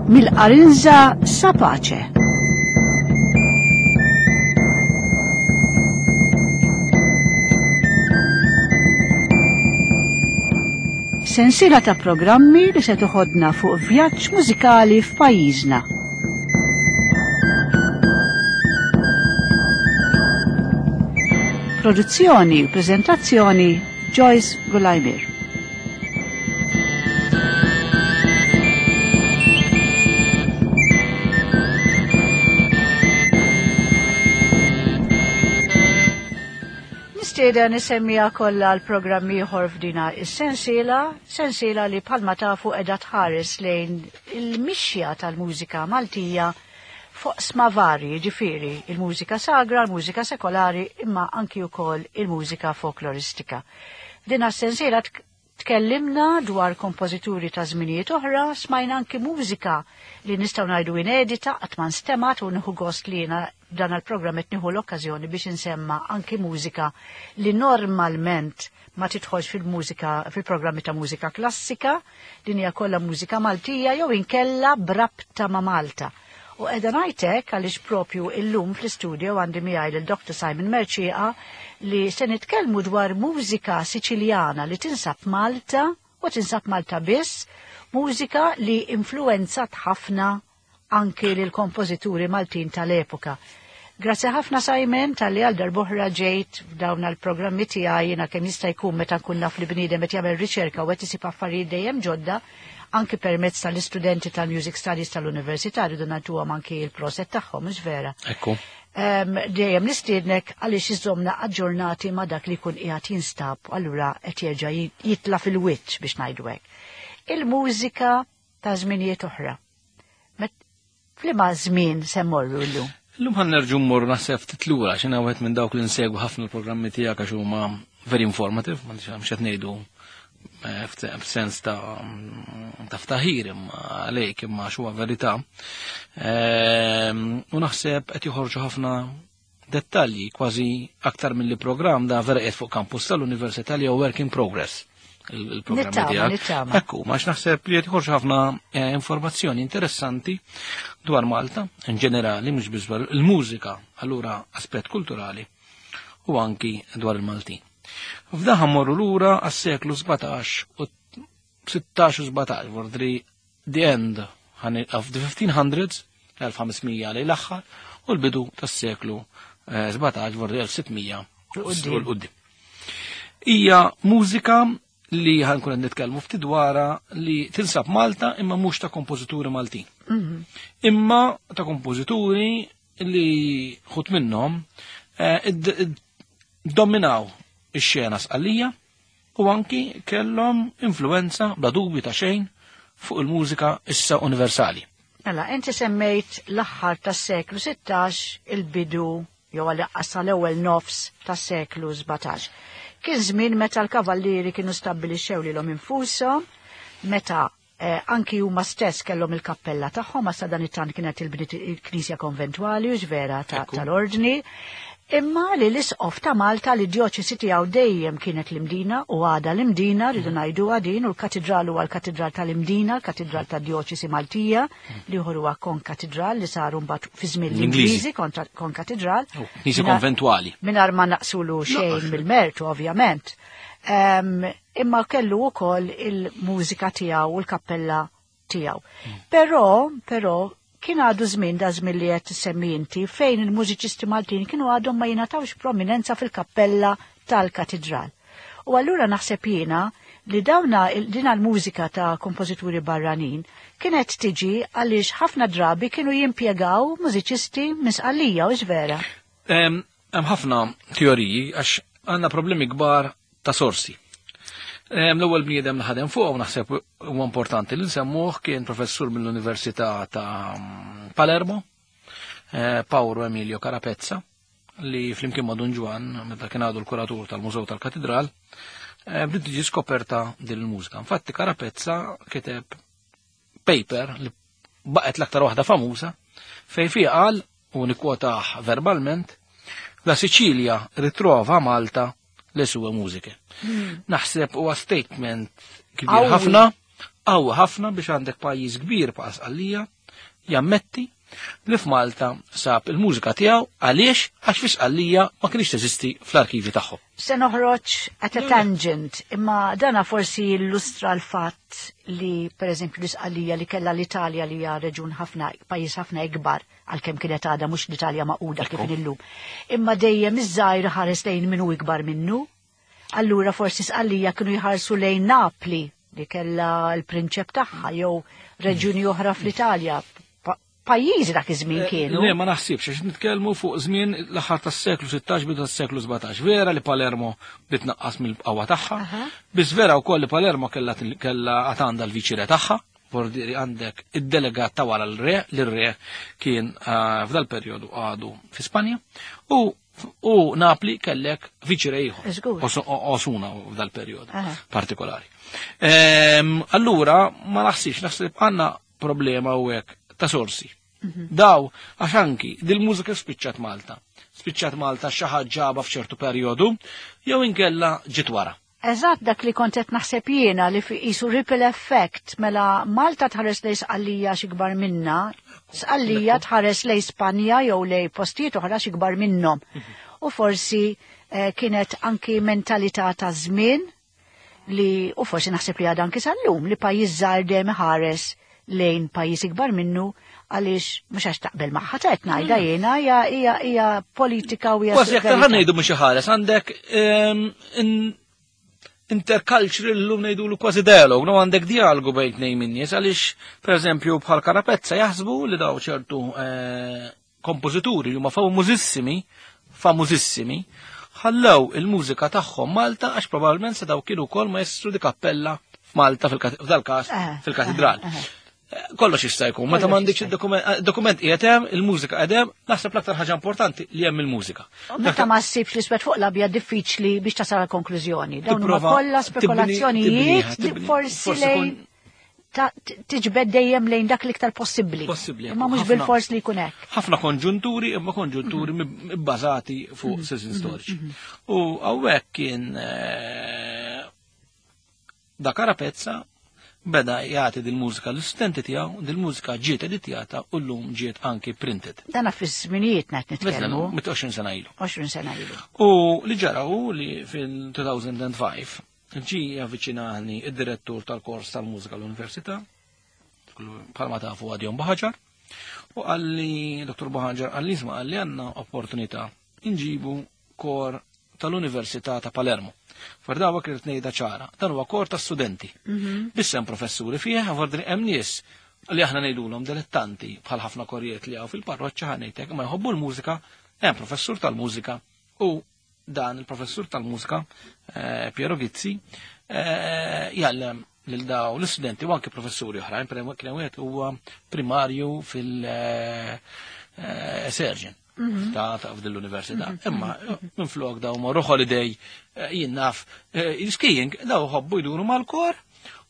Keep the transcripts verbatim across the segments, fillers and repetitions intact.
Mill-Qarinża sa Pace. Sensiela ta' programmi li se toħodna fuq vjaġġ mużikali f'pajjiżna. Produzzjoni u preżentazzjoni Joyce Gulajmir. Nistieden nisemmija kollha l-programm ieħor f'dina is-sensiela, sensiela li bħalma tafu qiegħda tħares lejn il-mixja tal-mużika Maltija fuq sma varji, ġifieri il-mużika sagra, il-mużika sekolari, imma anki wkoll il-mużika folkloristika. F'dina s-sensiela tkellimna dwar kompożituri ta' żminijiet oħra, smajna anki mużika li nistgħu ngħidu inedita qatt ma nstemat u nieħu gost li jiena dan il-programm qed nieħu l-okkażjoni biex insemma anki mużika li normalment ma tidħolx fil-mużika fil-programmi ta' mużika klassika, din hija kollha mużika Maltija jew inkella brabta ma' Malta. U qiegħda ngħidlek għaliex propju illum fl-istudio għandi miegħi lil Doctor Simon Mercieca li se nitkellmu dwar mużika Siċiljana li tinsab Malta u tinsab Malta biss, mużika li influenzat ħafna anki lil kompożituri Maltin tal-epoka. Grazzi ħafna Simon tal-li għal darb'oħra ġejt f'dawn il-programmi tiegħi jiena kemm jista' jkun meta nkun naf li bniedem qed jagħmel riċerka u qed isib affarijiet dejjem ġodda anki permezz tal-istudenti tal-Music Studies tal-Università rridu nagħtuhom anki il-proset tagħhom, mhux vera? Ekku. Dejjem nistiednek għaliex iżomna aġġornati ma' dak li jkun qiegħed jinstab, allura qed jerġa' jitla' fil-wiċċ biex ngħidu hekk. Il-mużika ta' żminijiet oħra. F'liema żmien se mmorru llum? Illum ħan nerġu mmorru naħseb ftit lura, x'inha wieħed minn dawk li nsegwu ħafna l-programmi tiegħek għax huma very informative, ma nix qed ngħidu f'sens ta' ta' ftaħir imma għalejk imma x'huwa verità. U naħseb qed joħorġu ħafna dettalji kważi aktar milli programm da vera qiegħed fuq campus tal-Università li huwa work in progress. Il-programm tiegħek. Ekku, ma naħseb li qed joħorġu ħafna informazzjoni interessanti dwar Malta in ġenerali, mhux biss dwar il-mużika, allura aspett kulturali u anki dwar il-Maltin. F'daħ morru lura għas-seklu sbatax u sittax u sbatax, vordri the end of the fifteen hundreds, elf ħamsmija lejn l-aħħar, u l-bidu tas-seklu sbatax, vordri elf sittmija u l-qudiem. Hija mużika li ħankun qed nitkellmu ftit dwarha li tinsab Malta imma mhux ta' kompożituri Maltin. Imma ta' kompożituri li ħut minnhom dominaw ix-xena Sqallija u anki kellhom influenza bla dubju ta' xejn fuq il-mużika issa universali. Mela, inti semmejt l-aħħar tas-seklu sittax, il-bidu jew għal l-ewwel nofs tas-seklu sbatax. Kien żmien meta l-kavallieri kienu stabbilixxew lilhom infushom, meta anki huma stess kellhom il-kappella tagħhom, għas dan it-tant kienet il-knisja konventwali u vera tal-ordni. Imma li l-isqof ta' Malta li d-djoċesi tiegħu dejjem kienet l-Imdina u għada l-Imdina, rridu ngħidu din, u l-katedral huwa l-katedral tal-Imdina, l-katedral tad-djoċesi Maltija, li ieħor huwa konkatedral li saru mbagħad fi żmien l-Ingliżi konkatedral. Knisja konventwali. Mingħajr ma naqsulu xejn mill-mertu, ovvjament. Imma kellu wkoll il-mużika tiegħu u l-kappella tiegħu. Però, però, kien għadu żmien da żmien li qed tissemmi inti fejn il-mużiċisti Maltin kienu għadhom ma jingħatawx prominenza fil-kappella tal-katedral. U allura naħseb jiena li dawna din l-mużika ta' kompożituri barranin kienet tiġi għaliex ħafna drabi kienu jimpjegaw mużiċisti minn Sqallija, u vera. Hemm ħafna teoriji għax għandna problemi kbar ta' sorsi. L-ewwel bniedem li ħadem fuq u naħseb huwa importanti li nsemmuh kien professur mill-Università ta' Palermo, Paolo Emilio Carapezza, li flimkien ma' Dun Ġwann, meta kien għadu l-kuratur tal-Mużew tal-Katedral, bdiet tiġi skoperta din il-mużika. Infatti Carapezza kiteb paper li baqgħet l-aktar waħda famuża fejn fiha qal, u nikkwotah verbalment, la Sicilia ritrova Malta le sue musiche. Naħseb huwa statement kbir ħafna Qawwi ħafna biex għandek pajjiż kbir bħal Sqallija jammetti li f'Malta sab il-mużika tiegħu għaliex għax fi Sqallija ma kienx teżisti fl-arkivi tagħhom. Se noħroġ at a tangent, imma dana forsi illustra l-fatt li per eżempju l-Isqallija li kellha l-Italja li hija reġun ħafna, pajjiż ħafna ikbar għalkemm kienet għadha mhux l-Italja magħquda kif illum. Imma dejjem iż-żgħir ħares lejn min hu ikbar minnu. Allura forsi Sqallija kienu jħarsu lejn Napli li kellha l-prinċep tagħha jew reġjuni oħra fl-Italja. Pa- Pajjiżi dak iż-żmien kienu. Le, ma naħsibx, għax nitkellmu fuq żmien l-aħħar tas-seklu sittax bidu tas-seklu sbatax. Vera li Palermo bdiet tnaqqas mill-qawwa tagħha, Aha. biss vera wkoll li Palermo kellha kellha għad għandha l-viċire tagħha, vordiri għandek id-delegat ta' wara l-re, l-re kien eh, f'dal perjodu għadu fi Spanja, u u Napli kellek viċire ieħor. Żgur. Osu- Osuna f'dal perjodu Aha. partikolari. Ehm, Allura, ma naħsibx, naħseb għandna problema u hekk ta' sorsi. Daw, għax anki, dil-mużika spiċċat Malta. Spiċċat Malta xi ħadd ġaba f'ċertu perjodu, jew inkella ġiet wara. Eżatt dak li kont qed naħseb jiena li fi qisu ripple effect mela Malta tħares lejn Sqallija xi kbar minna, Sqallija tħares lejn Spanja jew lejn postijiet oħra xi kbar minnhom. U forsi eh, kienet anki mentalità ta' żmien li u forsi naħseb li għadha anki sal-lum li pajjiż żgħar dejjem iħares lejn pajjiż ikbar minnu għaliex mhux għax taqbel magħha qed ngħidha jiena hija hija hija politika u hija Kważi aktar verità. ħa ngħidu mhux ħares, għandek ehm, in- intercultural llum ngħidulu kważi dialog, no għandek dialogu bejn tnejn min nies għaliex pereżempju bħal Carapezza jaħsbu li daw ċertu eh, kompożituri li huma famużissimi, famużissimi, ħallew il-mużika tagħhom Malta għax probabbilment se daw kienu wkoll maestru di cappella f'Malta fil-każ Eh, fil-katedral. eh, eh. Kollox jista' jkun, meta Kollox m'għandekx jista' id-dokument dokument qiegħed hemm, il-mużika qed hemm, naħseb l-aktar ħaġa importanti li hemm il-mużika. U Meta ma ssibx l-iswed fuq l-abjad diffiċli biex tasal għal konklużjoni. Dawn huma Tipprova kollha tibni- spekulazzjonijiet tibniha, tibni- forsi forsi lejn kun- ta- t- tiġbed dejjem lejn dak l-iktar possibbli. Possibbli, Imma mhux ħafna- bil-fors li jkun hekk. ħafna konġunturi, imma konġunturi mib- bbażati fuq sessin storiċi. U hawnhekk kien eh, da Carapezza beda jagħti dil-mużika l-istudenti tiegħu, dil-mużika ġiet editjata u llum ġiet anki printed. Dana fi żminijietna qed nitkellmu. Mit għoxrin sena ilu. għoxrin sena ilu. U li ġara hu li fil-elfejn u ħamsa ġi avviċinani id-direttur tal-kors tal-mużika l-Università, bħalma tafu għadjon Buhagiar, u qalli, Dottor Buhagiar, qalli isma' qalli għandna opportunità inġibu kor tal-Università ta' Palermo. Fardawa kienet ngħidha ċara, dan huwa kor ta' studenti. Biss hemm professuri fih, għavardri hemm nies li aħna ngħidulhom dilettanti bħal ħafna korijiet li hawn fil-parroċċa ħanejtek ma jħobbu l-mużika, hemm professur tal-mużika u dan il-professur tal-mużika eh, Piero Gizzi eh, jgħallem lil daw l-istudenti u anke professuri oħrajn, per kien wieħed huwa primarju fil-surgeon ta' ta' f'din l-università. Imma minn flok daw morru holiday eh, jien naf eh, skiing daw ħobbu jduru mal-kor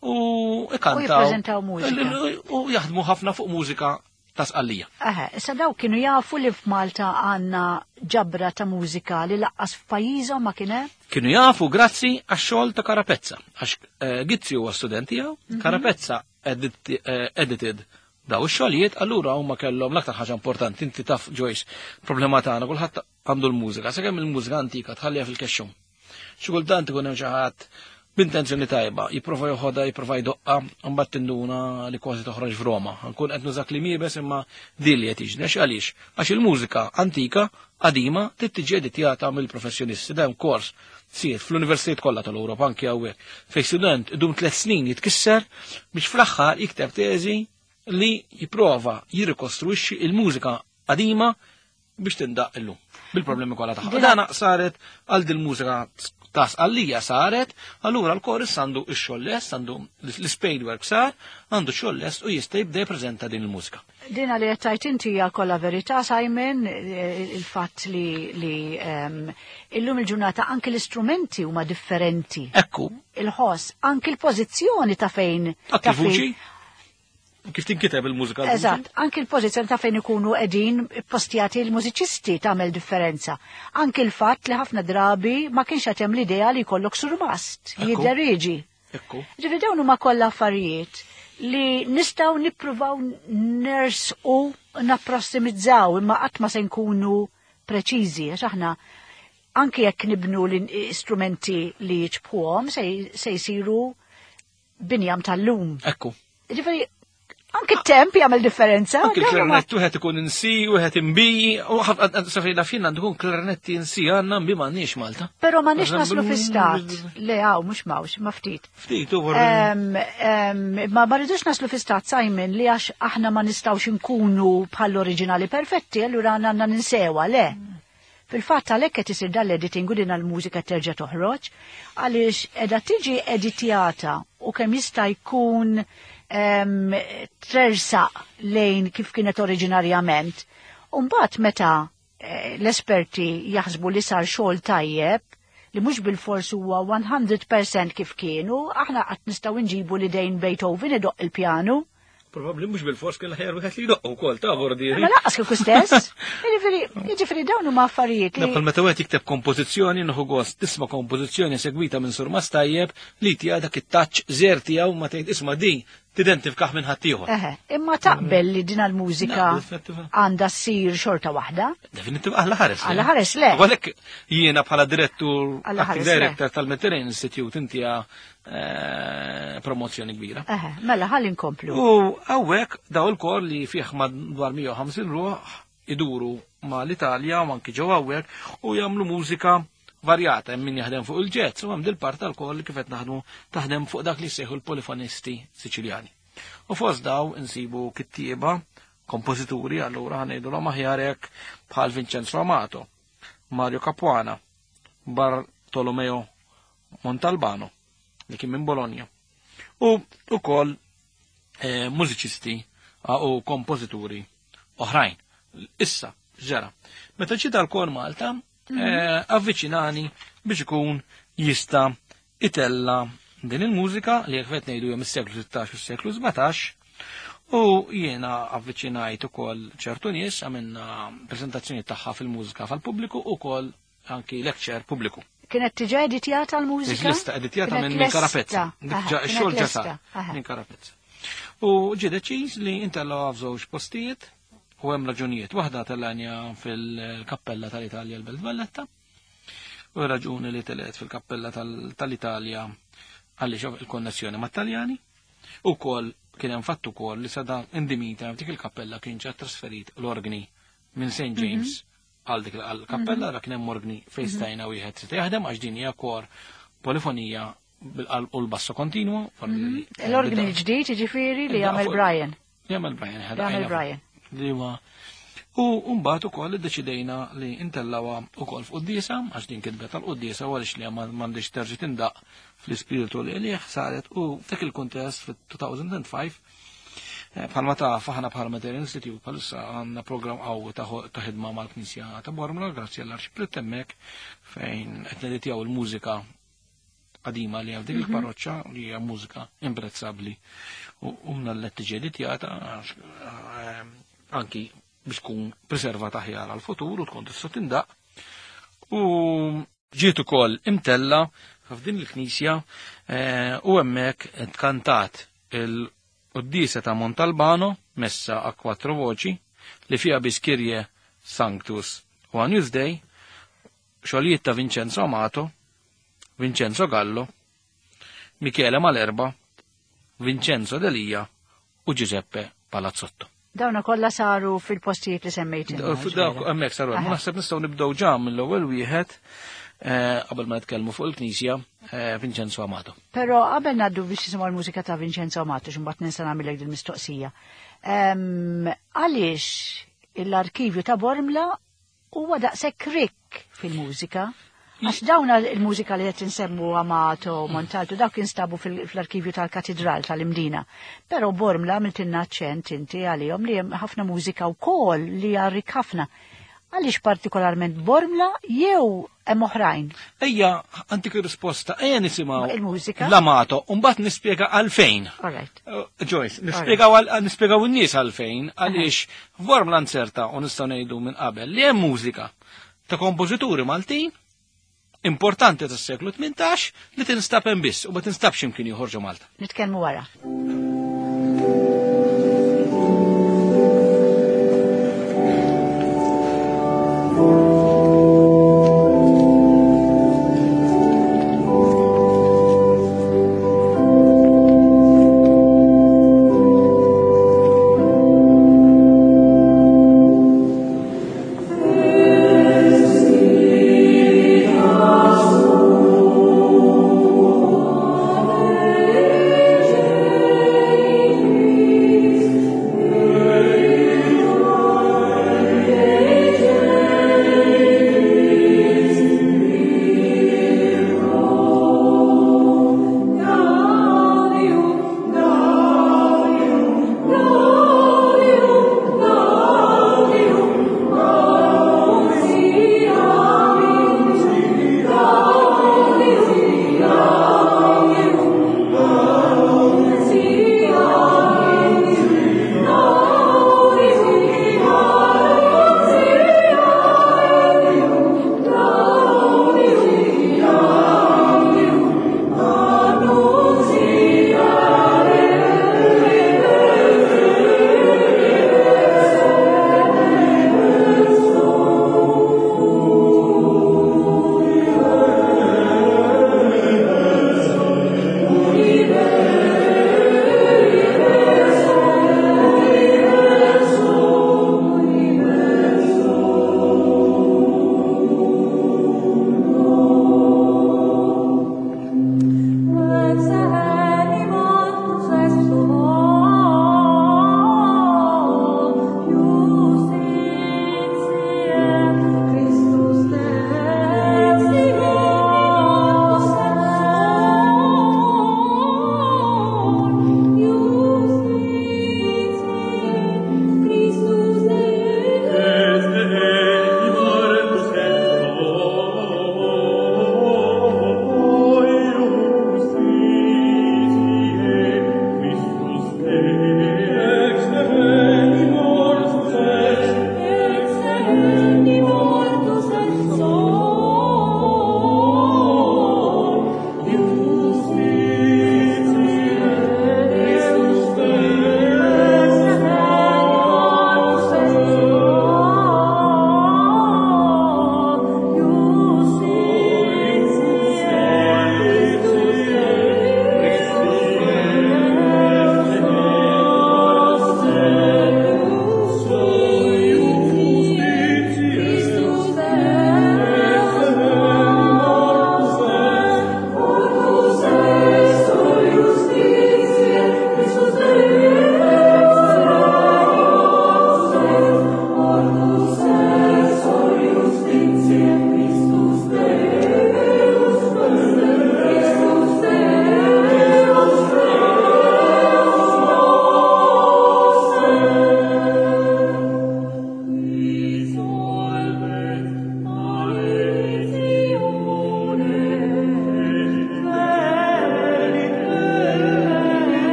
u ikantaw. U jippreżentaw mużika. U jaħdmu ħafna fuq mużika ta' Sqallija. Eħe, issa daw kienu jafu li f'Malta għandna ġabra ta' mużika li lanqas f'pajjiżhom ma kien hemm? Kienu jafu grazzi għax-xogħol ta' Carapezza. Għax eh, Gizzi huwa student tiegħu, Carapezza edit, eh, edited daw ix-xogħlijiet, allura huma kellhom l-aktar ħaġa importanti, inti taf Joyce, problema tagħna kulħadd għandu l-mużika, sakemm il-mużika antika tħalliha fil-kexxum. Xi kultant ikun hemm xi ħadd b'intenzjoni tajba, jipprova joħodha, jipprova jdoqqa, mbagħad tinduna li kważi toħroġ f'Roma. Nkun qed nużak li miebes imma din li qed jiġri. Għax għaliex? Għax il-mużika antika qadima trid tiġi editjata mill-professjonisti. Dan kors sir fl-universitajiet kollha tal-Ewropa anki hawnhekk. Fejn student idum tliet snin jitkisser biex fl-aħħar jikteb teżi li jipprova jirrikostruixxi il-mużika qadima biex tindaq illum bil-problemi kollha tagħha. Dana saret għal dil-mużika ta' Sqallija saret, allura l-kor issa għandu x-xogħol lest, għandu l-spade work sar, għandu x-xogħol lest u jista' jibda jippreżenta din il-mużika. Dina li qed tgħid inti hija kollha verità, Simon, eh, il-fatt li, li um, illum il-ġurnata anke l-istrumenti huma differenti. Ekku, Il-ħoss, anke l-pożizzjoni ta' fejn. anke ta' fejn- l-vuċi, kif tinkiteb il-mużika l-vuċi? Eżatt, anke l-pożizzjoni ta' fejn ikunu qegħdin postjati l-mużiċisti tagħmel differenza. Anke l-fatt li ħafna drabi ma kienx qed hemm l-idea li jkollok surmast, Ekku. jidderieġi. Ekku. Ġifieri dawn huma kollha affarijiet li nistgħu nippruvaw nersqu napprossimizzaw imma qatt ma se nkunu preċiżi għax aħna anke jekk nibnu l-istrumenti li jiġbħuhom se se jsiru binjam tal-lum. Ekku. Ġifieri anke t-temp jagħmel differenza. Anke dawn huma- il-klarinett wieħed ikun in C, wieħed in B, u safri la fin għandu jkun klarinetti in C, għandna in B m'għandniex Malta. Però ma nix naslu fi stat. Le hawn mhux mawx, ma ftit. Ftit u Em, em, Ma ma rridux naslu fi stat Simon li għax aħna ma nistgħux nkunu bħall-oriġinali perfetti, allura għandna ninsewa, le. Fil-fatt għalhekk qed isir dal-editing u din l-mużika terġa' toħroġ, għaliex qiegħda tiġi editjata u kemm jista' jkun em, tersaq lejn kif kienet oriġinarjament. U mbagħad meta eh, l-esperti jaħsbu li sar xogħol tajjeb, li mhux bil-fors huwa mija fil-mija kif kienu, aħna qatt nistgħu nġibu li dejn Beethoven idoq il-pjanu. Probabbli mhux bil-fors kien l-aħjar wieħed li jdoq ukoll ta' vordieri. Ma lanqas kieku stess. Jiġifieri, jiġifieri dawn huma affarijiet li Bħal meta wieħed jikteb kompożizzjoni nieħu gost tisma' kompożizzjoni segwita minn surmast tajjeb li tiegħu dak it-touch żer tiegħu ma tgħid isma' din tidentifikaħ minn ħaddieħor. Eħe, imma taqbel li din il-mużika Na, definitiva. għandha ssir xorta waħda. Definitiv għalla ħares. le. Alla ħares le. U għalhekk jiena bħala direttur, Alla acting ħares le. director tal-Mediterranean Institute inti eh, promozzjoni kbira. Eħe, mela ħalli nkomplu. U hawnhekk daw il-kor li fih madwar mija u ħamsin ruħ iduru ma l-Italja u anki ġew hawnhekk u jagħmlu mużika varjata, hemm min jaħdem fuq il-jazz u hemm dil-part tal-kor li kif qed naħdmu taħdem fuq dak li jsejħu l-polifonisti Siċiljani. U fost daw insibu kittieba, kompożituri, allura ħa ngħidulhom aħjar hekk bħal Vincenzo Amato, Mario Capuana, Bartolomeo Montalbano, li kien minn Bologna. U ukoll eh, mużiċisti ah, u kompożituri oħrajn. Issa, ġara, meta ġie dal-kor Malta, eh, avviċinani biex ikun jista' itella din il-mużika li jekk qed ngħidu hemm is-seklu sittax u s-seklu sbatax u jiena avviċinajt ukoll ċertu nies, għamilna prezentazzjoni tagħha fil-mużika fal-pubbliku u ukoll anki lecture pubbliku. Kienet diġà editjata l-mużika? Lesta editjata Kienet minn minn lesta. Carapezza. Aha, Ġa- kienet Ix-xogħol ġa lesta. sar Aha. minn Carapezza. U ġie deċiż li intellgħu f'żewġ postijiet u hemm raġunijiet. Waħda tellanja fil-kappella tal-Italja l-Belt Valletta u raġuni li telet fil-kappella tal- tal-Italja għaliex il-konnessjoni mat-Taljani u kol kien hemm fatt ukoll li sada indimita f'dik il-kappella kien ġa trasferit l-organi minn Saint James għal dik il-kappella, ra kien hemm organi fejn stajna wieħed se jaħdem għax din hija kor polifonija bil-qalb u l-basso kontinwu. L-organi l-ġdid, ġifieri li jagħmel Brian. Jagħmel Brian. Li jagħmel Brian. Li huwa U mbagħad ukoll iddeċidejna li intellawha ukoll f'quddiesa, għax din kitbet tal-quddiesa u għaliex li ma m'għandix terġa' tindaq fl-ispiritu li għalih saret u f'dak il-kuntest fit-elfejn u ħamsa eh, bħalma taf aħna bħala Mediterranean Institute bħalissa għandna programm qawwi ta' ta' ħidma mal-Knisja ta' Bormla grazzi għall-Arċipriet hemmhekk fejn qed neditjaw il-mużika qadima li għal dik il-parroċċa li hija mużika imprezzabbli u u mnallet tiġi editjata għax, eh, anki biex tkun preservata aħjar għal-futur u tkun tista' tindaq. U ġiet ukoll imtella f'din il-knisja eh, u hemmhekk tkantat il-Quddiesa ta' Montalbano messa a quattro voci li fiha biss Kyrie, Sanctus u Agnus Dei, xogħlijiet ta' Vincenzo Amato, Vincenzo Gallo, Michele Malerba, Vincenzo Delia u Giuseppe Palazzotto. Dawna kollha saru fil-postijiet li semmejt. Dawk hemmhekk saru. Aha. Naħseb nistgħu nibdew ġa mill-ewwel wieħed eh, qabel ma nitkellmu fuq il-Knisja, eh, Vincenzo Amato. Però qabel ngħaddu biex nisimgħu l-mużika ta' Vincenzo Amato, x'imbagħad ninsa nagħmilek din mistoqsija. Ehm, Għaliex l-arkivju ta' Bormla huwa daqshekk rikk fil-mużika? Għax dawna il-mużika li qed insemmu Amato, Montalto, dawk instabu fil- fl-arkivju tal-Katedral tal-Imdina. Però Bormla għamiltilna aċċent inti għalihom li hemm ħafna mużika wkoll li hija rikk ħafna. Għaliex partikolarment Bormla jew hemm oħrajn? Ejja, antik risposta, ejja nisimgħu Il-mużika? l-Amato, u mbagħad nispjega għalfejn. All right. Uh, Joyce, nispjegaw għal- nispjegaw in-nies għalfejn, għaliex f'Bormla nserta u nistgħu ngħidu minn qabel li hemm mużika ta' kompożituri Maltin importanti tas-seklu tmintax li tinstab hemm biss u ma tinstabx imkien ieħor ġo Malta. Nitkellmu wara.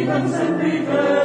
Vitam sempiterna.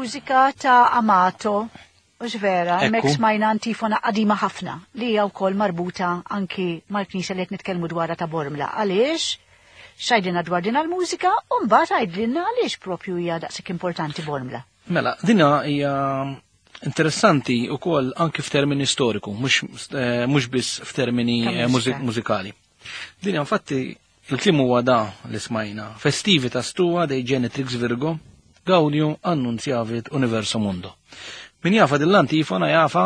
mużika ta' Amato, mhux vera, hemmhekk smajna antifona qadima ħafna li hija wkoll marbuta anki mal-knisja li qed nitkellmu dwarha ta' Bormla. Għaliex? X'għidilna dwar din il-mużika u mbagħad għidilna għaliex propju hija daqshekk importanti Bormla. Mela, dina hija interessanti wkoll anki f'termini storiku, mhux biss f'termini mużikali. Din infatti il-kliem huwa da li smajna. Festivitas tua dei Genetrix Virgo, Gaudium annunziavit universo mundo. Min jafa dill-antifona jafa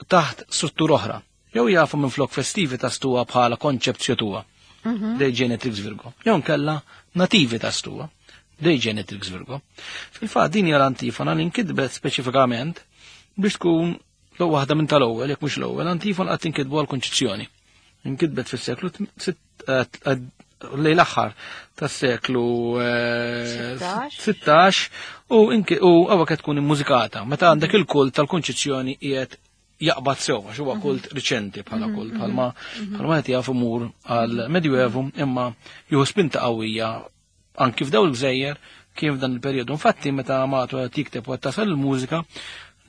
taħt struttura oħra. Jew jafa minn flok festivitas tua bħala konċepzjo tua dei Genetrix Virgo. Jew nkella nativitas tua dei Genetrix Virgo. Fil-fatt din hija l-antifona li nkitbet speċifikament biex tkun l waħda minn tal-ewwel, jekk mhux l-ewwel, antifona qatt inkitbu għall-Kunċizzjoni. Inkitbet fis-seklu lejn l-aħħar tas-seklu sittax u hawnhekk qed tkun immużikata. Meta għandek il-kult tal-Kunċizzjoni qiegħed jaqbad sew, għax huwa kult riċenti bħala kult, bħalma bħalma qed jaf imur għall-Medjuevu, imma jieħu spinta qawwija anki f'dawn il-gżejjer kien f'dan il-perjodu. Infatti meta Amato qed jikteb u qed tasal il-mużika,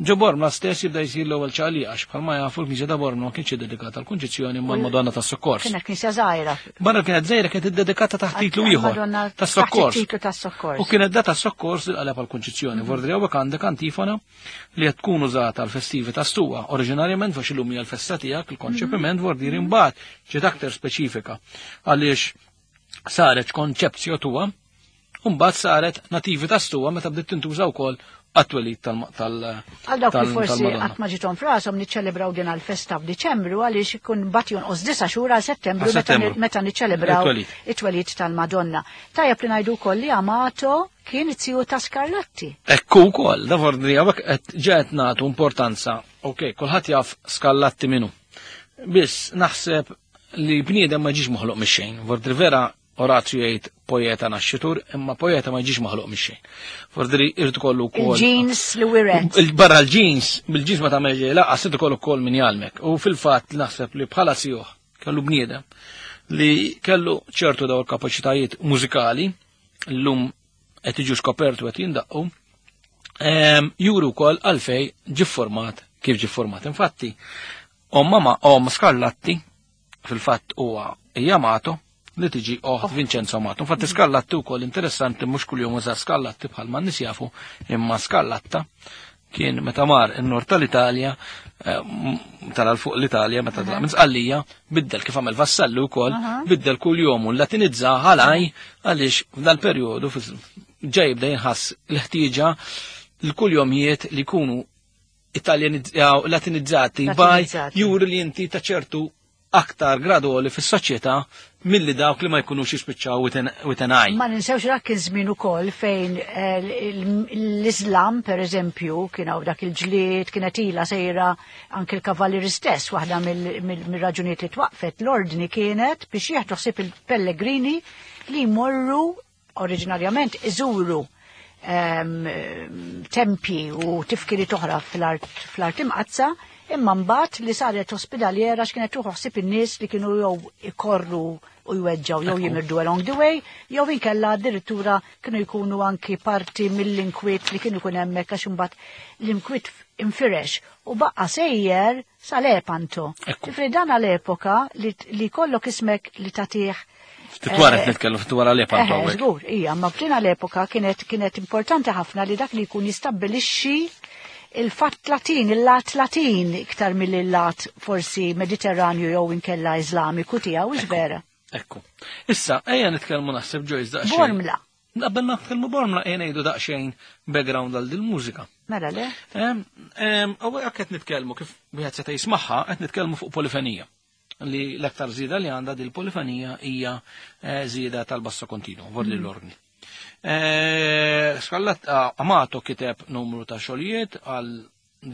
ġo Bormla stess jibda jsir l-ewwel ċaqliq għax bħalma jafu l-Knisja ta' Bormla ma kienx iddedikata għall-Kunċizzjoni imma l-Madonna tas-Sokkors. Kienet knisja żgħira. Barra kienet żgħira kienet iddedikata taħt titlu ieħor tas-Sokkors. U kienet da tas-Sokkors li qaleb għall-Kunċizzjoni. Vordri hawnhekk għandek antifona li qed tkun użata għall-festivi ta' Stuwa. Oriġinarjament għax illum hija l-festa tiegħek il-konċepiment vordiri imbagħad ġiet aktar speċifika għaliex saret konċepzjo tuwa u mbagħad saret nativitas tua meta bdiet tintuża wkoll għat-twelid tal Għal dawk li forsi qatt ma ġiethom f'rashom niċċelebraw din għall-festa f'Diċembru għaliex ikun mbagħad jonqos disa' xhur għal Settembru meta niċċelebraw it-twelid tal-Madonna. Tajjeb li ngħidu wkoll li Amato kien it-tiju ta' Scarlatti. Ekku wkoll, da vordri hawnhekk qed ġed nagħtu importanza. Okej, kulħadd jaf Scarlatti minnu. Biss naħseb li bniedem ma ġiex maħluq mix-xejn. Vordri vera Orazio jgħid poeta naxxitur, imma poeta ma jiġix maħluq mix-xejn. Vordri irid ikollu wkoll. Il-jeans li wiret. Barra l-jeans, bil-jeans ma tagħmel ġej, laqas irid ikollu wkoll min jgħallmek. U fil-fatt naħseb li bħala sieħ kellu bniedem li kellu ċertu daw il-kapaċitajiet mużikali llum qed jiġu skopertu qed jindaqqu, juru wkoll għalfej ġie format kif ġie format. Infatti, om mama om Scarlatti fil-fatt huwa hija Amato li tiġi oħt Vincenzo Amato. Infatti Scarlatti wkoll interessanti mhux kuljum uża Scarlatti bħalma n-nies jafu, imma Scarlatta kien meta mar in-nord tal-Italja, tara fuq l-Italja meta tlaq minn Sqallija, biddel kif għamel Vassalli wkoll, biddel kuljum u latinizza ħalaj għaliex f'dal-perjodu ġej jibda jinħass l-ħtieġa l-kuljomijiet li jkunu latinizzati baj juri li inti ta' ċertu aktar gradoli fis-soċjetà milli dawk li ma jkunux jispiċċaw with an eye. Ma ninsewx dak kien żmien ukoll fejn l-Islam pereżempju kien hawn dak il-ġlied kienet ilha sejra anke l-kavallieri stess, waħda mill-raġunijiet li twaqfet l-ordni kienet biex jieħdu ħsieb il-pellegrini li jmorru oriġinarjament iżuru tempji u tifkiri oħra fl-art imqazza, imma mbagħad li saret ospedaliera x'kienet tuħu ħsieb in-nies li kienu jew ikorru u jweġġgħu jew jimirdu along the way, jew inkella addirittura kienu jkunu anki parti mill-inkwiet li kienu jkun hemmhekk għax imbagħad l-inkwiet infirex u baqa' sejjer sal-Epanto. Ġifri dan għall-epoka li kollok ismek li tagħtih. Ftit wara qed nitkellmu ftit wara l-Epanto hawnhekk. Żgur, hija, ma f'din l-epoka kienet kienet importanti ħafna li dak li jkun jistabbilixxi il-fatt Latin, il-lat Latin iktar mill-lat forsi Mediterranju jew inkella Iżlamiku tiegħu, hux vera. Ekku. Issa, ejja nitkellmu naħseb Joyce daqsxejn. Bormla. Qabel ma nitkellmu Bormla ejja ngħidu daqsxejn background għal dil-mużika. Mela le? Hawnhekk qed nitkellmu kif wieħed seta' jismagħha, qed nitkellmu fuq polifonija. Li l-aktar żieda li għandha dil-polifonija hija żieda tal-basso continuo, vorli l-ordni. Scarlatti Amato kiteb numru ta' xogħlijiet għal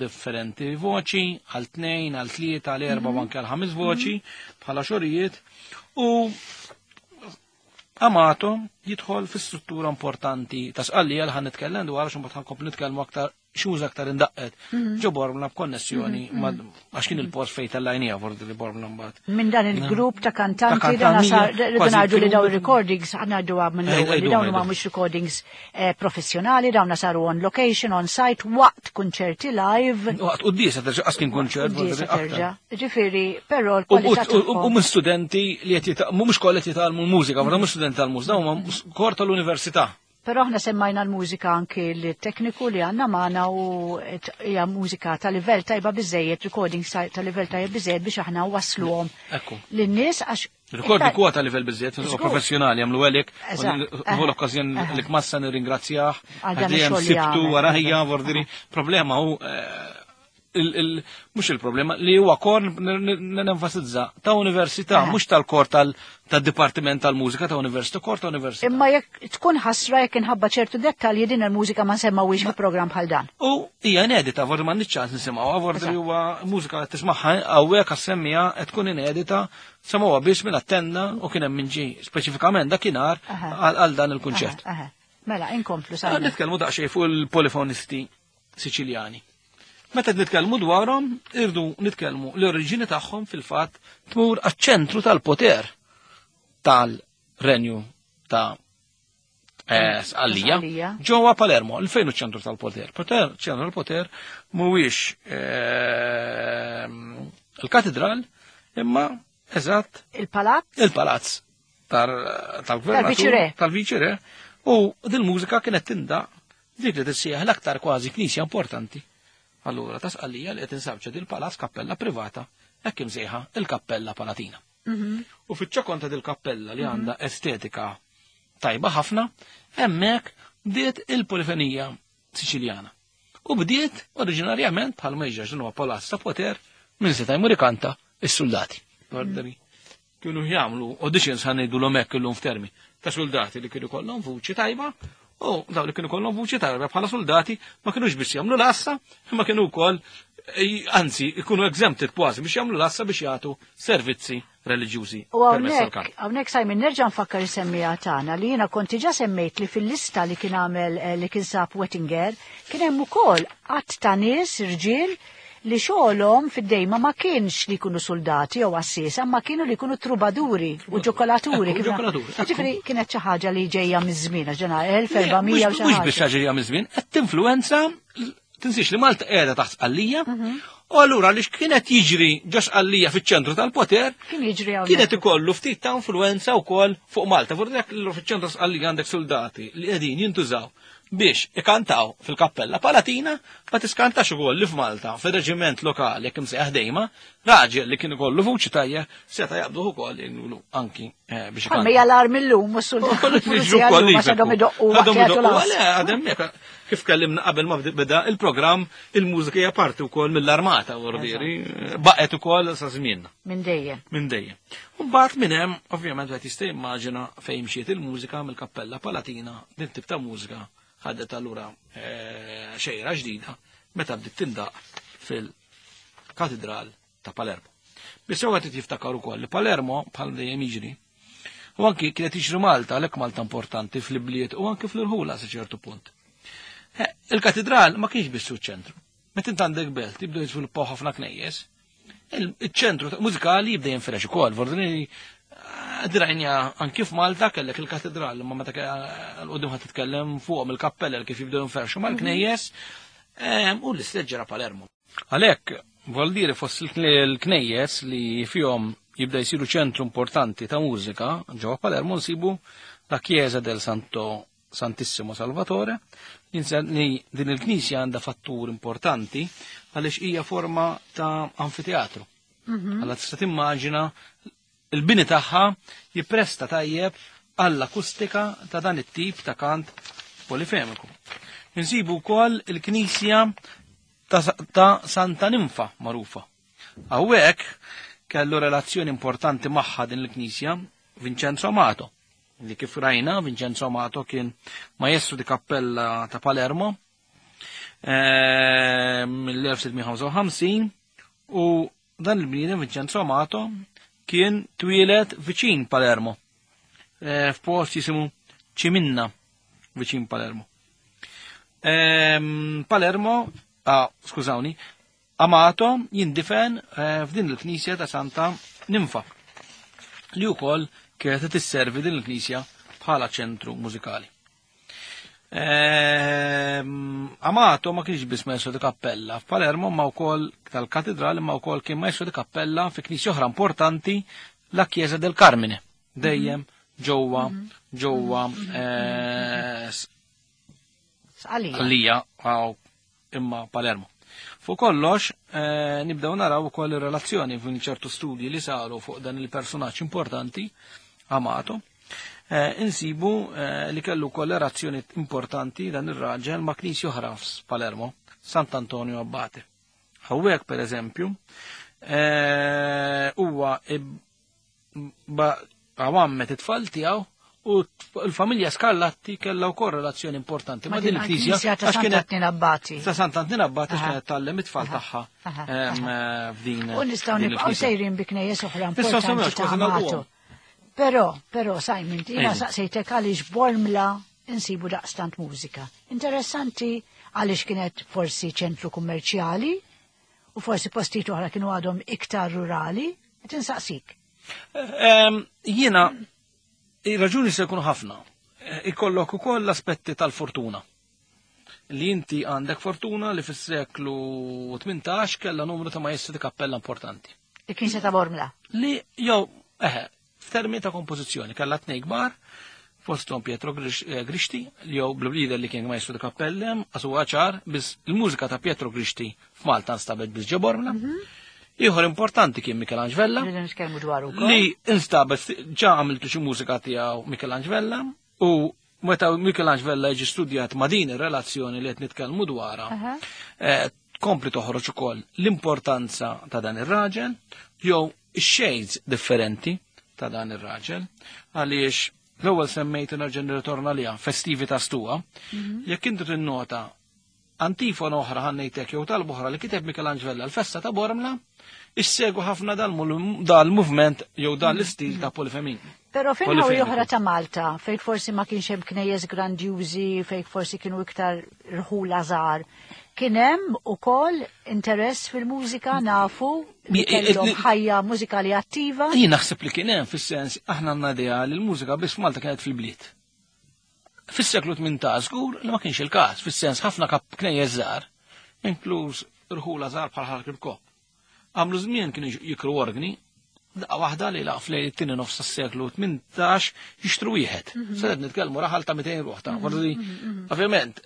differenti voċi, għal tnejn, għal tlieta, għal erba' u anke għal ħames voċi bħala xogħlijiet u Amato jidħol fi struttura importanti ta' Sqallija li ħan nitkellem dwar għax imbagħad ħankomplu nitkellmu aktar xi aktar indaqqet. Ġo Bormla b'konnessjoni għax kien il-post fejn tal-lajnija forsi li Bormla mbagħad. Minn dan il-grupp ta' kantanti dan sar ngħidu li dawn recordings ngħidu minn l-ewwel li dawn huma mhux recordings professjonali, dawn saru on location, on site, waqt kunċerti live. Waqt quddiesa terġa' qas kien kunċert. Ġifieri, però l-kwalità U minn studenti li qed mhux kollha qed jitgħallmu l-mużika, ma mhux studenti tal-mużika, huma kor tal-università. Però aħna semmajna l-mużika anki l-tekniku li għandna magħna u hija mużika ta' livell tajba biżejjed, recording ta' livell tajba biżejjed biex aħna wasluhom lin-nies għax Recording huwa ta' livell biżejjed, professjonali jagħmlu għalik, u l-okkażjoni li kmassa nirringrazzjah, għal sibtu warajja vordiri. Problema hu mhux il-problema li huwa kor nenfasizza ta' università, mhux tal-kor tad-dipartiment tal-mużika ta' università, kor ta' università. Imma jekk tkun ħasra jekk inħabba ċertu dettalji din il-mużika ma nsemmawhiex fi programm bħal dan. U hija inedita, vordi m'għandix ċans nisimgħuha, vordi huwa mużika qed tismagħha hawnhekk għas-semmija qed tkun inedita, semgħuha biss minn attenna u kien hemm min ġie speċifikament dakinhar għal dan il-kunċert. Mela, inkomplu sa. Nitkellmu daqsxejn fuq il-polifonisti Siċiljani. Meta nitkellmu dwarhom, irdu nitkellmu l-oriġini tagħhom fil-fatt tmur għaċ-ċentru tal-poter tal-renju ta' Sqallija ġewwa Palermo. Fejn hu ċ-ċentru tal-poter? Poter, ċentru tal-poter mhuwiex il-katedral, imma eżatt il-palazz il-palazz tal-gvernatur, tal-viċire, u dil-mużika kienet tindaq dik li tissieħ l-aktar kważi knisja importanti. Allura, ta' Sqallija li qed insabċa dil-palazz kappella privata, hekk imsejħa il-Kappella Palatina. U fiċ-ċokon ta' dil-kappella li għandha estetika tajba ħafna, hemmhekk bdiet il-polifenija Siċiljana. U bdiet oriġinarjament bħal ma jiġri huwa palazz ta' poter minn seta' jmur ikanta is-soldati. Kienu jagħmlu auditions ħa ngħidulhom hekk illum f'termi ta' soldati li kienu kollhom vuċi tajba. U daw li kienu kollhom vuċi tajba bħala soldati ma kinux biss jagħmlu l-assa, imma kienu wkoll anzi ikunu exempted kważi biex jagħmlu l-assa biex jagħtu servizzi reliġjużi. U hawnhekk hawnhekk Simon nerġa' nfakkar is-semmija tagħna li jiena kont diġà semmejt li fil-lista li kien għamel li kien sab Wettinger kien hemm ukoll qatt ta' nies irġiel li xogħolhom fid-dejma ma kienx li jkunu soldati jew għassiesa, ma kienu li jkunu trubaduri u ġokolaturi. Ġifieri kienet xi ħaġa li ġejja miż-żmien, għax ġena elf erba' mija u xi ħaġa. Mhux biss ġejja miż-żmien, qed tinfluwenza, tinsiex li Malta qiegħda taħt Sqallija, u allura għaliex kienet jiġri ġo Sqallija fiċ-ċentru tal-poter, kien jiġri hawnhekk. Kienet ikollu ftit ta' influwenza wkoll fuq Malta. Forsi jekk fiċ-ċentru Sqallija għandek soldati li qegħdin jintużaw biex ikantaw fil-Kappella Palatina, ma tiskantax ukoll li f'Malta, fir-reġiment lokali jekk imsejjaħ dejma, raġel li kien ikollu vuċi tajja seta' jaqbduh ukoll jgħidulu anki biex ikanta. Bħalma hija l-armi llum u s-soldati għadhom idoqqu waqt li jagħtu l-għas. Għadhom jekk kif kellimna qabel ma beda il-programm, il-mużika hija parti wkoll mill-armata, vordieri, baqgħet ukoll sa żmienna. Minn dejjem. Minn dejjem. U mbagħad minn hemm, ovvjament wieħed jista' jimmaġina fejn mxiet il-mużika mill-Kappella Palatina, din tip ta' mużika ħadet allura xejra ġdida meta bdiet tindaq fil-Katedral ta' Palermo. Biss huwa qed jiftakar ukoll li Palermo bħal dejjem jiġri. U anki kienet jiġri Malta, għalhekk Malta importanti fl-ibliet u anki fl-irħula sa ċertu punt. Il-katedral ma kienx biss ċentru. Meta int għandek belt jibdew jiżviluppaw ħafna knejjes, il-ċentru mużikali jibda jinfirex ukoll. Vordini drajnja anki f'Malta kellek il-katedral, imma meta l-qudiem ħadd titkellem fuqhom il-kappella kif jibdew jinferxu mal-knejjes, u l-istess ġara Palermo. Għalhekk vuol dire fost il-knejjes li fihom jibda jsiru ċentru importanti ta' mużika ġewwa Palermo nsibu la Chiesa del Santo Santissimo Salvatore, li din il-knisja għandha fattur importanti għaliex hija forma ta' anfiteatru. Alla tista' timmaġina il-bini tagħha jippresta tajjeb għall-akustika ta' dan it-tip ta' kant polifemiku. Insibu wkoll il-knisja ta' Santa Ninfa magħrufa. Hawnhekk kellu relazzjoni importanti magħha din il-knisja Vincenzo Amato, li kif rajna Vincenzo Amato kien maestru di kappella ta' Palermo mill-elf sitt mija ħamsa u ħamsin, u dan il-bniedem Vincenzo Amato kien twieled viċin Palermo, f'post jisimu Ciminna viċin Palermo. Ehm, Palermo, ah, skużawni, Amato jindifen eh, f'din il-knisja ta' Santa Ninfa li wkoll kienet tisservi din il-knisja bħala ċentru mużikali. Ehm, Amato ma kienx biss maestro di cappella f'Palermo ma wkoll tal-katedral ma wkoll kien maestro di cappella fi knisja oħra importanti la Chiesa del Carmine dejjem ġewwa ġewwa eh, Sqalija. Sqallija għaw imma Palermo. Fuq kollox, eh, nibdew naraw ukoll ir-relazzjoni f'in ċertu studji li saru fuq dan il-personaġġ importanti, Amato, eh, insibu eh, li kellu wkoll relazzjoni importanti dan ir-raġel ma' knisja oħra f'Palermo, Sant'Antonio Abbate. Hawnhekk per eżempju, eh, huwa għammet it-tfal tiegħu u l-familja Scarlatti kellha wkoll relazzjoni importanti ma' din il-knisja ta' għax kienet Sant'Antin Abbati. ta' Sant'Antin Abbati Aha. kienet tgħallem it-tfal tagħha Aha. em, eh, f'din. U nistgħu din nibqgħu il-knisja. sejrin bi knejjes oħra Nistgħu importanti semmewx, ta' kważi Amato. nagħlquhom. Però, però, Simon, jiena Ejja. saqsejtek għaliex Bormla insibu daqstant mużika. Interessanti għaliex kienet forsi ċentru kummerċjali u forsi postijiet oħra kienu għadhom iktar rurali, qed insaqsik. Em, Jiena, ir-raġuni se jkunu ħafna. Eh, Ikollok ukoll l-aspetti tal-fortuna. Li inti għandek fortuna li fis-seklu tmintax kellha numru ta' maestri di kappella importanti. Il-Knisja ta' Bormla. Li jew eħe, f'termini ta' kompożizzjoni kellha tnejn kbar, fosthom Pietro Grix- eh, Grixti, li jew bl-lider li kien maestru di kappellem, għax huwa ċar, biss il-mużika ta' Pietro Grixti f'Malta nstabet biss ġo Bormla. Ieħor importanti kien Michelangelo Vella, Rridu nitkellmu dwar ukoll. li instabet ġa għamiltu xi mużika tiegħu Michelangelo Vella u meta Michelangelo Vella jiġi studjat ma' din ir-relazzjoni li qed nitkellmu dwarha, Aha. eh, tkompli toħroġ ukoll l-importanza ta' dan ir-raġel jew ix-shades differenti ta' dan ir-raġel għaliex l-ewwel semmejt nerġa' nirritorna liha festivi ta' Stuwa. Jekk intu tinnota antifona oħra ħannejtek jew talba oħra li kiteb Michelangelo Vella l-festa ta' Bormla, issegu ħafna dal-mul- dal-movement jew dan l-istil ta' polifemin. Però fejn hawn Polifemiku. oħra ta' Malta, fejn forsi ma kienx hemm knejjes grandjużi, fejn forsi kienu iktar rħula żgħar, kien hemm ukoll interess fil-mużika nafu li Mi- kellhom li- ħajja mużikali attiva. Jien naħseb li kien hemm fis-sens aħna għandna idea li l-mużika biss f'Malta kienet fil-bliet. Fis-seklu tmintax żgur li ma kienx il-każ, fis-sens ħafna kap knejjes żgħar, inkluż rħula żgħar bħal Ħal Kirkop. Għamlu żmien kienu jikru organi, daqqa waħda li laq fl it-tieni nofs tas-seklu tmintax jixtru wieħed. Se qed nitkellmu raħal ta' mitejn ruħ ta' forsi ovvjament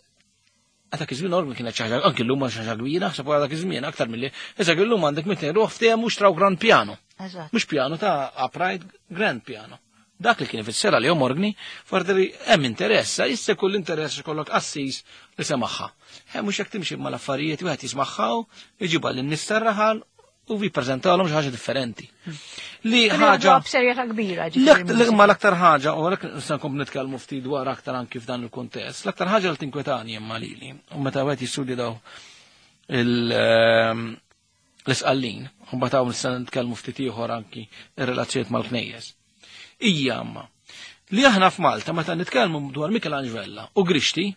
Dak iż-żmien orgni kienet xi ħaġa, anki llum xi ħaġa kbira, ħseb wara dak iż-żmien aktar milli. Issa illum għandek mitejn ruħ ftehmu xtraw grand piano. Eżatt. Mhux piano ta' upright, grand piano. Dak li kien ifisser għalihom organi, forsi hemm interess, issa kull interess ikollok qassis li semaħħa. Hemm mhux jekk timxi mal-affarijiet wieħed jismagħha, iġibha lin-nies tar-raħal u jippreżentawlhom xi ħaġa differenti. Li Kienu ħaġa jaħduha b'serjetà kbira. ġifieri L-aktar l-mużika. ma l-aktar ħaġa, u għalhekk nista' nkomplu nitkellmu ftit dwar aktar anki f'dan il-kuntest, l-aktar ħaġa li tinkwetani imma lili, u meta wieħed jistudja daw il- ehm, l-isqallin, u mbagħad hawn nista' nitkellmu ftit ieħor anki ir-relazzjonijiet mal-knejjes. Ija amma li aħna f'Malta meta nitkellmu dwar Michelangelo Vella u Grixti,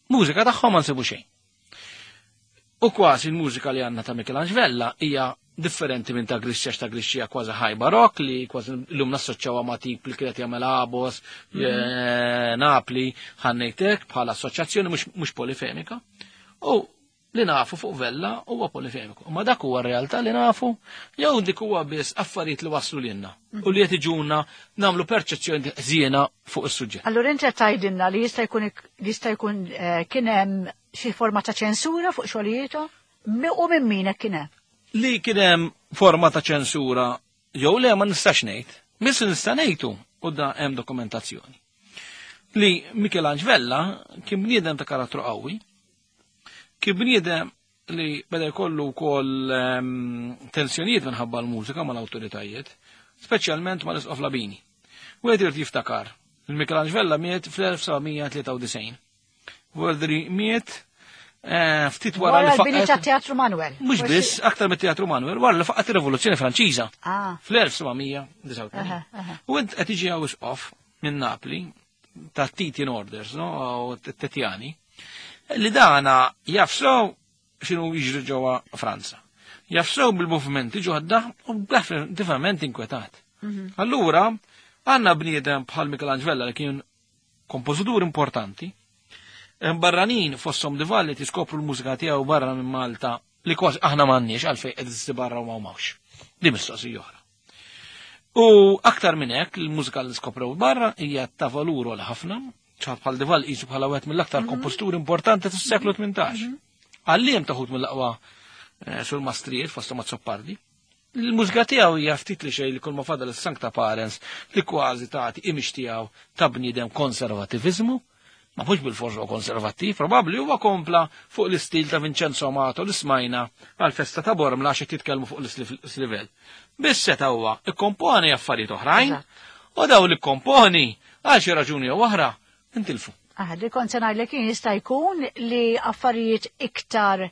mużika tagħhom ma nsibu xejn. U kważi l-mużika li għandna ta' Michelangelo Vella hija differenti minn ta' Grixti għax ta' Grixti hija kważi high barok li kważi llum nassoċjawha ma' tip li kienet jagħmel Abos, eh, Napli, ħannejtek bħala assoċjazzjoni mhux mhux polifemika. U li nafu fuq Vella huwa polifemiku. Ma dak huwa r-realtà li nafu jew dik huwa biss affarijiet li waslu lilna u li qed iġuna nagħmlu perċezzjoni żiena fuq is-suġġett. Allura inti qed tgħidilna li jista' jkun jista' jkun eh, kien hemm xi forma ta' ċensura fuq xogħlijietu u minn min hekk kien hemm. Li kien hemm forma ta' ċensura jew le ma nistax ngħid. Biss nista' ngħidu u da hemm dokumentazzjoni. Li Michelangelo Vella kien bniedem ta' karattru qawwi, kien bniedem li beda jkollu wkoll ehm, tensjonijiet minħabba l-mużika mal-awtoritajiet, speċjalment mal-Isqof Labini. Wieħed irid jiftakar, il-Michelangelo Vella miet fl-elf seba' mija tlieta u disgħin. Voldri miet eh, ftit wara Wara li l-bini faqgħet ta' Teatru Manuel. Mhux Forsi- biss, aktar mit-Teatru Manuel, wara li faqgħet ir-Rivoluzzjoni Franċiża Ah. fl-elf seba' mija disgħa u tmenin. Aha, aha. U int qed tiġi hawn isqof minn Napli ta' Titian Orders, no, u Tetjani. Li dana jafsew x'inhu jiġri ġewwa Franza. Jafsew bil-movimenti ġodda u definitivament inkwetat. Allura, għandna bniedem bħal Michelangelo Vella li kien kompożitur importanti, barranin fosthom De Valli tiskopru l-mużika tiegħu barra minn Malta li kważi aħna m'għandniex għalfejn qed barra u ma mawx. Di mistoqsija oħra. U aktar minn hekk il-mużika li skoprew barra hija ta' valur għal ħafna, bħal De Valli qisu bħala wieħed mill-aktar kompożituri importanti tas-seklu tmintax. Għalliem taħut mill-aqwa sul mastrijiet fosthom Azzopardi. Il-mużika tiegħu hija ftit li xejn li kull ma fadal is-Sancta Parens li kważi tagħti imix tiegħu ta' bniedem konservativiżmu. Ma mhux bil-forza huwa konservattiv, probabbli huwa kompla fuq l-istil ta' Vincenzo Amato li smajna għal-festa ta' Bormla għax qed jitkellmu fuq l-livell. Biss seta' huwa ikkomponi affarijiet oħrajn u daw li kkomponi għal xi raġuni jew oħra intilfu. Ah, li kont se ngħidlek kien jista' jkun li affarijiet iktar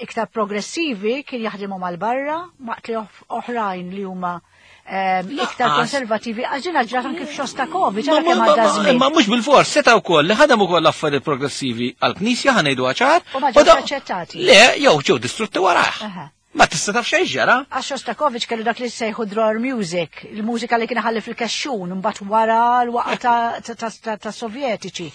iktar progressivi kien jaħdmu mal-barra, waqt li oħrajn li huma iktar konservativi, għax ġrat anke f'Xostakovich, għara kemm għadda żmien. Ma mhux bil-fors, seta' wkoll li ħadem ukoll affarijiet progressivi għall-Knisja ħa ngħidu ċar. U ma ġewx aċċettati. Le, jew ġew distrutti warah. Ma tista' taf xejn ġara. Għax Shostakovich kellu dak li sejħu drawer music, il-mużika li kien ħalli fil-kexxun, mbagħad wara l-waqa ta' Sovjetiċi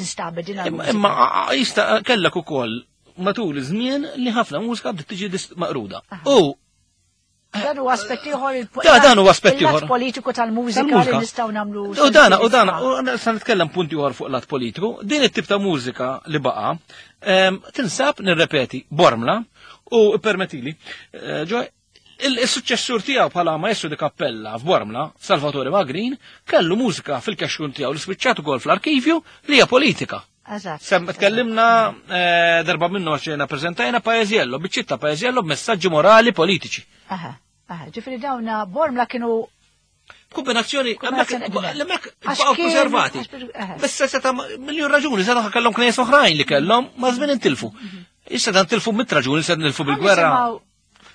instabet din il-mużika. Imma jista' kellek ukoll matul iż-żmien li ħafna mużika bdiet tiġi maqruda. U dan huwa aspett ieħor il dan huwa aspett ieħor politiku tal-mużika li nistgħu nagħmlu. U dan u dan u se nitkellem punti ieħor fuq lat politiku, din it-tip ta' mużika li baqa' tinsab nirrepeti Bormla u permettili, ġoj il-suċċessur tiegħu bħala maestro di cappella f'Bormla, Salvatore Magrin, kellu mużika fil-kexxun tiegħu li spiċċat ukoll fl-arkivju li hija politika. Eżatt. Tkellimna darba minnu għax ġejna preżentajna Paesiello, biċċitta Paesiello b'messaġġi morali politiċi. Aha, aha, ġifieri dawna Bormla kienu kombinazzjoni hemmhekk baqgħu konservati. Bissa seta' miljun raġuni, seta' kellhom knejjes oħrajn li kellhom ma' żmien intilfu. Issa dan tilfu mit raġuni se nilfu bil-gwerra.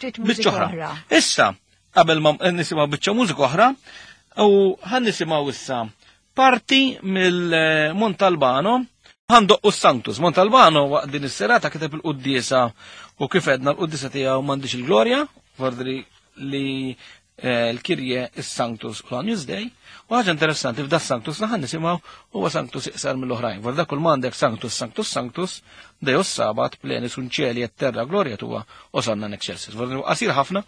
Biċċa oħra. Issa, qabel ma nisimgħu biċċa mużika oħra, u ħan nisimgħu issa parti mill-Montalbano. Ħandoqqu s-Sanctus. Montalbano waqt din is-serata kiteb il-quddiesa u kif edna l-quddiesa tiegħu m'għandix il-glorja, vordri li l-Kirje is-Sanctus u l-Agnus Dei. U ħaġa interessanti f'da s-Sanctus li ħan nisimgħu huwa Sanctus iqsar mill-oħrajn. Vorda kull m'għandek Sanctus, Sanctus, Sanctus, Deus Sabat, plenis un cieli et terra gloria tua, osanna in excelsis. Vorda qasir ħafna,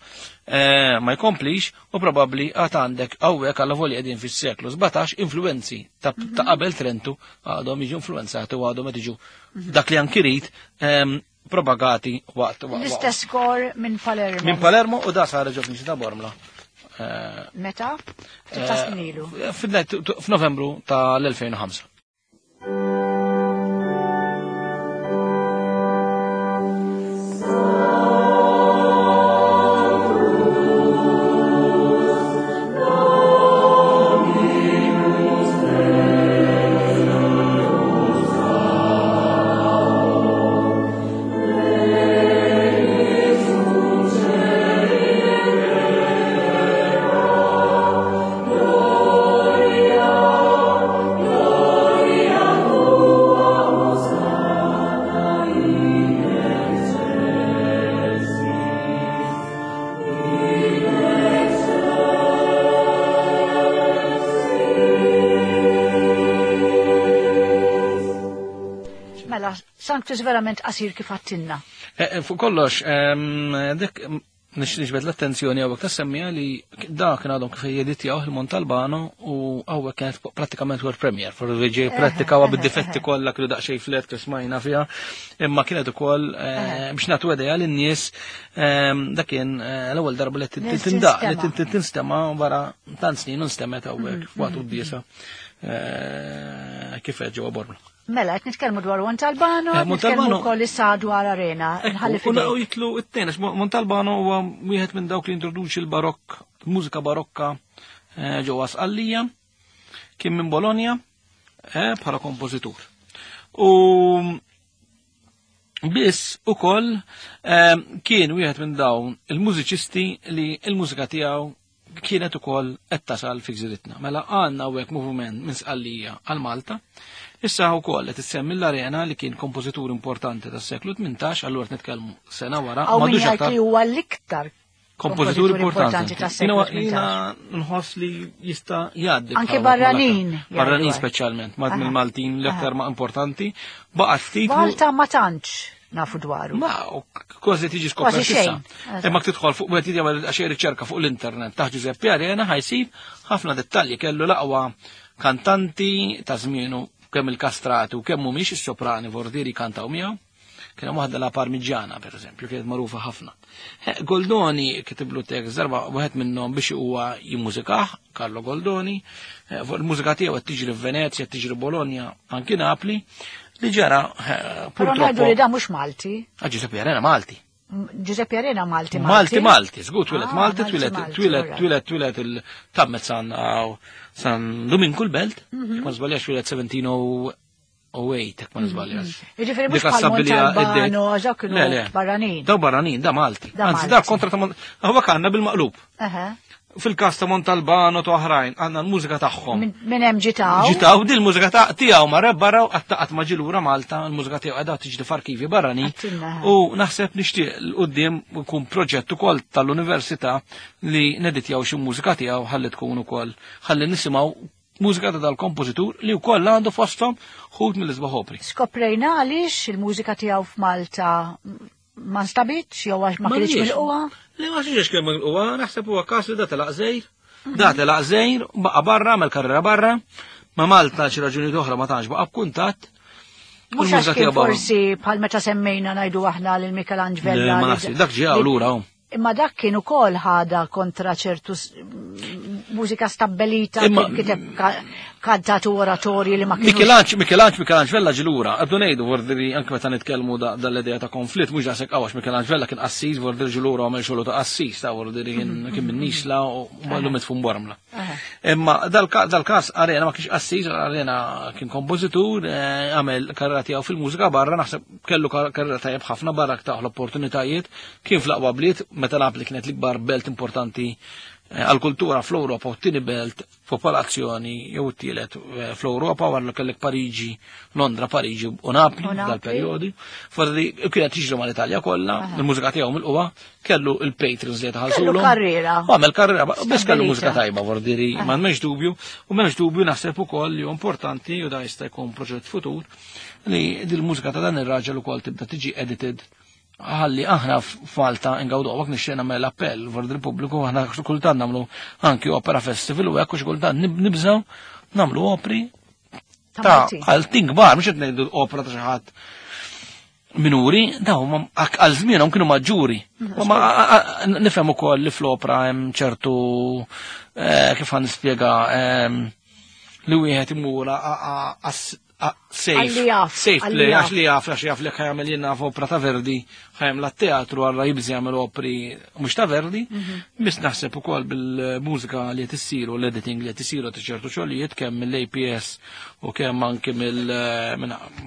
ma jkomplix u probabbli għad għandek hawnhekk alla volja qegħdin fis-seklu sbatax influenzi ta' qabel Trentu għadhom jiġu influenzati u għadhom qed jiġu dak li anki rid propagati waqt. L-istess kor minn Palermo. Minn Palermo u da sar ġo f'Niċi ta' Bormla. Meta? Ftit ta' snin ilu. F'Novembru tal-elfejn u ħamsa. Sanctus verament qasir kif għattinna. Fuq kollox, dik nixbet l-attenzjoni hawnhekk tassemmija li da kien għadhom kif jeditjaw il-Montalbano u hawnhekk kienet prattikament world premiere, for ġej prattikawha bid-difetti kollha kienu daqsxejn flet kif smajna fiha, imma kienet ukoll biex nagħtu idea lin-nies dak kien l-ewwel darba li tindaq li tinstema' wara tant snin u nstemmet hawnhekk f'waqt quddiesa kif qed ġewwa Bormla. Mela, qed nitkellmu dwar Montalbano, nitkellmu wkoll issa dwar Arena. U jitlu it-tnejn, għax Montalbano huwa wieħed minn dawk li introduċi l-barokk, mużika barokka ġewwa Sqallija, kien minn Bologna bħala kompożitur. U biss ukoll kien wieħed minn dawn il-mużiċisti li l-mużika tiegħu kienet ukoll qed tasal fi gżiritna. Mela għandna hawnhekk moviment minn Sqallija għal Malta. Issa wkoll qed issemmi l-Arena li kien kompożitur importanti tas-seklu tmintax, allura qed nitkellmu sena wara. Hawn min jgħid li huwa l-iktar kompożitur importanti tas-seklu tmintax. Jiena nħoss li jista' jgħaddi. Anke barranin. Barranin speċjalment, ma mill-Maltin l-aktar ma importanti. Baqgħet ftit. Malta ma tantx nafu dwaru. Ma, kważi tiġi skopert issa. Imma tidħol fuq wieħed jagħmel xi riċerka fuq l-internet taħt Giuseppe Arena ħajsib ħafna dettalji, kellu l-aqwa kantanti ta' żmienu, kemm il-kastrati u kemm mhumiex is-soprani vordieri kantaw miegħu. Kien hemm waħda la Parmigiana pereżempju, kienet magħrufa ħafna. Goldoni kitiblu tekst darba wieħed minnhom biex huwa jimmużikah, Carlo Goldoni. Fuq il-mużika tiegħu qed tiġri f'Venezja, qed tiġri Bologna, anki Napli. Li ġara, purtroppo. Però ngħidu li da mhux Malti. Ah, Giuseppe Arena Malti. Giuseppe Arena Malti Malti. Malti Malti, żgur twieled Malti, twieled twieled twieled twieled il-tammet San San Dominku l-Belt, ma żbaljax twieled seventeen oh eight, jekk ma nżbaljax. Jiġifieri mhux bħal Montalbano, dak kienu barranin. Daw barranin, da Malti. Anzi, da kontra ta' hawnhekk għandna bil-maqlub. Fil-każ ta' Montalbano ta' oħrajn, għandna l-mużika tagħhom. Minn hemm ġitaw. Ġitaw, din il-mużika ta' tiegħu ma barra qatt ma ġi lura Malta, il-mużika tiegħu qiegħda tiġri f'arkivi barranin. U naħseb nixtieq l quddiem ikun proġett ukoll tal-università li neditjaw xi mużika tiegħu ħalli tkun ukoll ħalli nisimgħu mużika ta' dal-kompożitur li wkoll għandu fosthom ħut mill-isbaħ opri. Skoprejna għaliex il-mużika tiegħu f'Malta ma nstabitx jew għax ma kienx milquha? Le ma xiex kemm milquha, naħseb huwa każ li da telaq żejr. Da telaq żejr, baqa' barra, għamel karriera barra, ma Malta xi raġunijiet oħra ma tantx baqa' b'kuntatt. Mhux għax kien forsi bħal meta semmejna ngħidu aħna lil Michelangelo Vella. Ma naħseb, dak ġie lura hawn. Imma dak kien ukoll ħada kontra ċertu mużika stabbilita, kiteb kantati u oratorji li ma kienux. Michelangelo, Michelangelo, Michelangelo Vella ġie lura. Qed ngħidu vordiri anke meta nitkellmu dal-idea ta' konflitt mhux daqshekk għax Michelangelo Vella kien qassis, vordiri ġie lura għamel xogħlu ta' qassis, ta' vordiri kien minn Nisla u mallu mitfun Bormla. Imma dal-każ Arena ma kienx qassis, Arena kien kompożitur, għamel karriera tiegħu fil-mużika barra, naħseb kellu karriera tajjeb ħafna barra taħ l-opportunitajiet, kien fl-aqwa bliet, meta Napli kienet l-ikbar belt importanti għal-kultura fl-Ewropa u t-tieni belt popolazzjoni jew t-tielet fl-Ewropa wara li kellek Pariġi, Londra, Pariġi u Napli dal-perjodi. Forsi kienet tiġri mal-Italja kollha, il-mużika tiegħu mill-qwa, kellu il-patrons li jtaħallsulhom. Kellu karriera. U għamel karriera, biss kellu mużika tajba, vordiri, ma m'hemmx dubju, u m'hemmx dubju naħseb ukoll li importanti u da jista' jkun proġett futur li dil-mużika ta' dan ir-raġel ukoll tibda tiġi edited ħalli aħna f'Malta ingawdu għak nixtieq nagħmel appell vord il-pubbliku, aħna kultant nagħmlu anki opera festival u hekk u xi kultant nibżgħu nagħmlu opri ta' għal kbar, mhux qed ngħidu opera ta' xi ħadd minuri, daw għal żmienhom kienu maġġuri. Ma nifhem ukoll li fl-opera hemm ċertu kif ħa nispjega li wieħed imur safe, safe play, għax li jaf, għax jaf li ħajamel jenna f'opera ta' Verdi, ħajamel teatru għarra jibżi jagħmel opri mhux ta' Verdi, biss naħseb ukoll bil-mużika li qed issir u l-editing li qed isiru ta' ċertu xogħlijiet kemm mill-A P S u kemm anke mill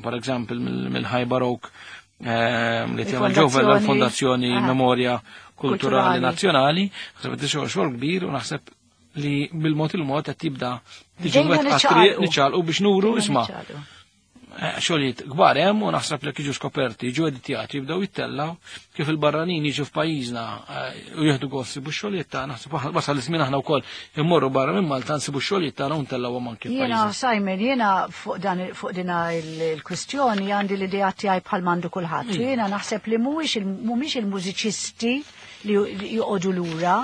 per eżempju mill-High Baroque li tagħmel ġewwa l-Fondazzjoni Memorja Kulturali Nazzjonali, naħseb qed xogħol kbir u naħseb li bil-mod il-mod qed tibda tiġi wet niċċalqu biex nuru isma' xogħlijiet kbar hemm u naħseb li jiġu skoperti, jiġu editjati, jibdew jittellaw kif il-barranin jiġu f'pajjiżna u jieħdu gost sibu x-xogħlijiet tagħna, naħseb wasal iż-żmien aħna wkoll immorru barra minn Malta nsibu x-xogħlijiet tagħna u ntellgħuhom anke f'pajjiżna. Jiena Simon, jiena fuq dan fuq din il-kwistjoni għandi l-idea tiegħi bħal m'għandu kulħadd. Jiena naħseb li mhuwiex mhumiex il-mużiċisti li joqogħdu lura.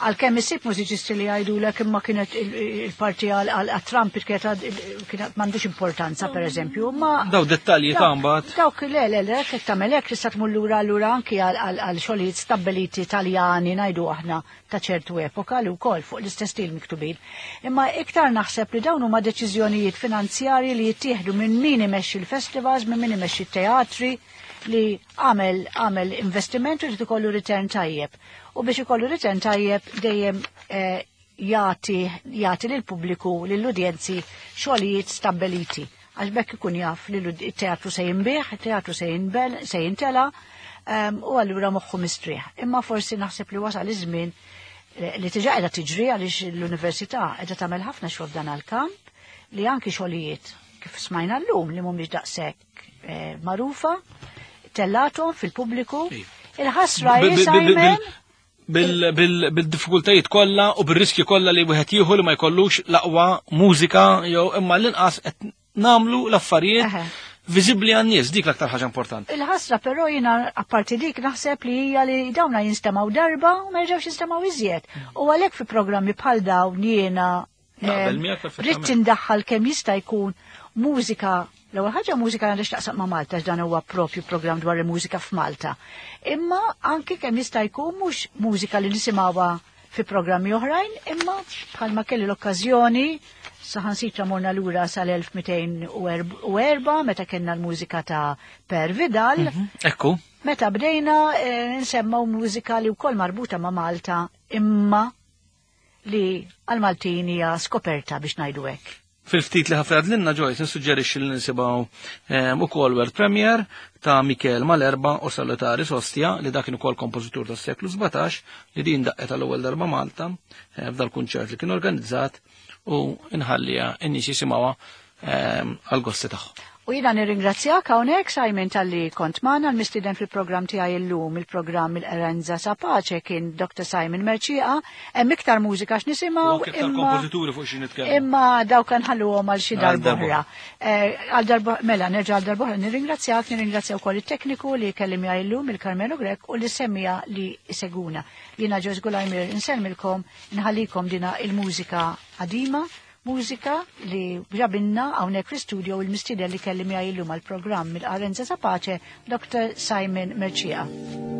Għalkemm isib mużiċisti li jgħidulek imma kienet il-parti għal-trumpet kienet m'għandux importanza pereżempju, ma daw dettalji ta' mbagħad. Dawk le le le kif tagħmel hekk tista' tmur lura lura anki għal xogħlijiet stabbiliti Taljani ngħidu aħna ta' ċertu epoka li wkoll fuq l-istess stil miktubin. Imma iktar naħseb li dawn huma deċiżjonijiet finanzjarji li jittieħdu minn min imexxi l-festivals, minn min imexxi t-teatri li għamel għamel investiment u li ikollu return tajjeb. U biex ikollu return tajjeb dejjem jagħti jagħti lill-pubbliku, lill-udjenzi xogħlijiet stabbiliti. Għax bekk ikun jaf li t-teatru se jinbih, it-teatru se jinbel, se jintela, u allura moħħu mistrieħ. Imma forsi naħseb li wasal iż-żmien li tiġa qiegħda tiġri għaliex l-università qiegħda tagħmel ħafna xogħol f'dan għall-kamp li anki xogħlijiet kif smajna llum li mhumiex daqshekk eh, magħrufa tellatom fil-pubbliku. Il-ħasra hi Simon bil-diffikultajiet kollha u bir-riskji kollha li wieħed jieħu li ma jkollux l-aqwa mużika jew imma l-inqas qed nagħmlu l-affarijiet viżibbli għan-nies, dik l-aktar ħaġa importanti. Il-ħasra però jiena apparti dik naħseb li hija li dawna jinstemgħu darba u ma jerġgħux jinstemgħu iżjed. U għalhekk fi programmi bħal dawn jiena ridt indaħħal kemm jista' jkun mużika. L-ewwel ħaġa mużika għandha x'taqsam ma' Malta x'dan huwa propju programm dwar il-mużika f'Malta. Imma anki kemm jista' jkun mhux mużika li nisimgħuha fi programmi oħrajn, imma bħalma kelli l-okkażjoni saħansitra morna lura sal-elf mitejn u erba' meta kellna l-mużika ta' Per Vidal. Ekku. Meta bdejna nsemmaw mużika li wkoll marbuta ma' Malta imma li għal-Maltin hija skoperta biex ngħidu hekk. Fil-ftit li ħafna għadlinna Joyce, nissuġġerixxi li nisimgħu ukoll world premiere ta' Michel Malerba u Salutari Sostia li dak kien ukoll kompożitur tas-seklu sbatax li din daqqet għall-ewwel darba Malta f'dal-kunċert li kien organizzat u nħallija n-nies jisimgħuha għall-gosti tagħhom. U jiena nirringrazzjak hawnhekk Simon talli kont magħna. L-mistieden fil-programm tiegħi llum, il-programm il-Erenza Sapace kien Doctor Simon Mercieca. Hemm iktar mużika x'nisimgħu, imma kompożituri fuq xi nitkellmu. Imma dawk nħalluhom għal xi darba. Għal darba mela nerġa' għal darba nirringrazzjak, nirringrazzja wkoll it-tekniku li kellim llum il-Carmelo Grech u li semmija li seguna. Jiena Joyce Gulajmir insellmilkom, nħallikom dina il-mużika qadima, mużika li ġabinna hawnhekk fl-istudio il-mistieden li kelli miegħi llum għall-programm il-Arenza Sapace, Doctor Simon Mercieca.